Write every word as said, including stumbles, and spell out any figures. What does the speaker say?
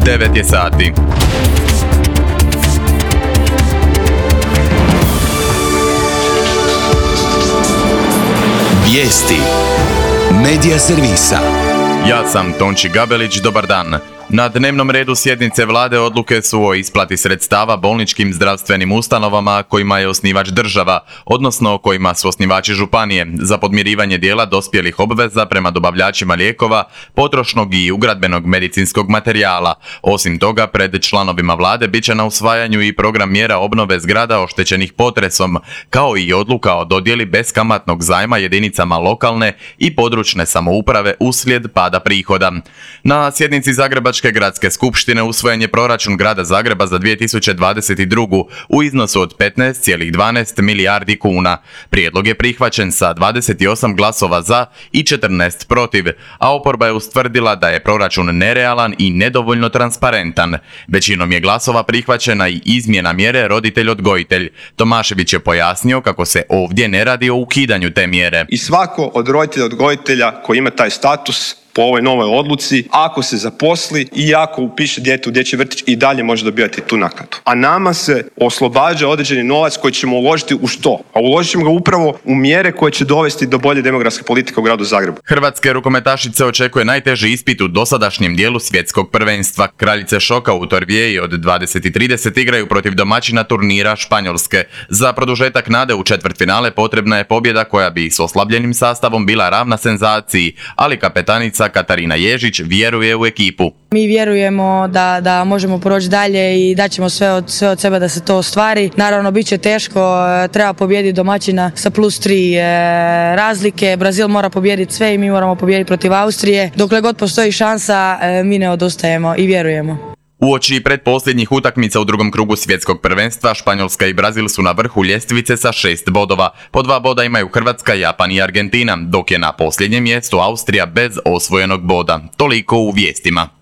devet je sati. Vijesti Medija servisa. Ja sam Tonči Gabelić, dobar dan. Na dnevnom redu sjednice vlade odluke su o isplati sredstava bolničkim zdravstvenim ustanovama kojima je osnivač država, odnosno kojima su osnivači županije, za podmirivanje dijela dospjelih obveza prema dobavljačima lijekova, potrošnog i ugradbenog medicinskog materijala. Osim toga, pred članovima vlade bit će na usvajanju i program mjera obnove zgrada oštećenih potresom, kao i odluka o dodjeli beskamatnog zajma jedinicama lokalne i područne samouprave uslijed pada prihoda. Na sjednici Zagrebačke gradske skupštine usvojen je proračun grada Zagreba za dvije tisuće dvadeset drugu. u iznosu od petnaest zarez dvanaest milijardi kuna. Prijedlog je prihvaćen sa dvadeset osam glasova za i četrnaest protiv, a oporba je ustvrdila da je proračun nerealan i nedovoljno transparentan. Većinom je glasova prihvaćena i izmjena mjere roditelj-odgojitelj. Tomašević je pojasnio kako se ovdje ne radi o ukidanju te mjere. I svako od roditelja-odgojitelja koji ima taj status po ovoj novoj odluci, ako se zaposli i ako upiše dijete u dječji vrtić, i dalje može dobivati tu naknadu. A nama se oslobađa određeni novac koji ćemo uložiti u što? A uložit ćemo ga upravo u mjere koje će dovesti do bolje demografske politike u gradu Zagrebu. Hrvatske rukometašice očekuje najteži ispit u dosadašnjem dijelu svjetskog prvenstva. Kraljice šoka u Torvijeji od dvadeset i trideset igraju protiv domaćina turnira Španjolske. Za produžetak nade u četvrtfinale potrebna je pobjeda koja bi s oslabljenim sastavom bila ravna senzaciji, ali kapetanica Katarina Ježić vjeruje u ekipu. Mi vjerujemo da, da možemo proći dalje i daćemo sve od, sve od sebe da se to ostvari. Naravno, bit će teško, treba pobijediti domaćina sa plus tri e, razlike. Brazil mora pobijediti sve i mi moramo pobijediti protiv Austrije. Dokle god postoji šansa, e, mi ne odustajemo i vjerujemo. Uoči pretposljednjih utakmica u drugom krugu svjetskog prvenstva, Španjolska i Brazil su na vrhu ljestvice sa šest bodova. Po dva boda imaju Hrvatska, Japan i Argentina, dok je na posljednjem mjestu Austrija bez osvojenog boda. Toliko u vijestima.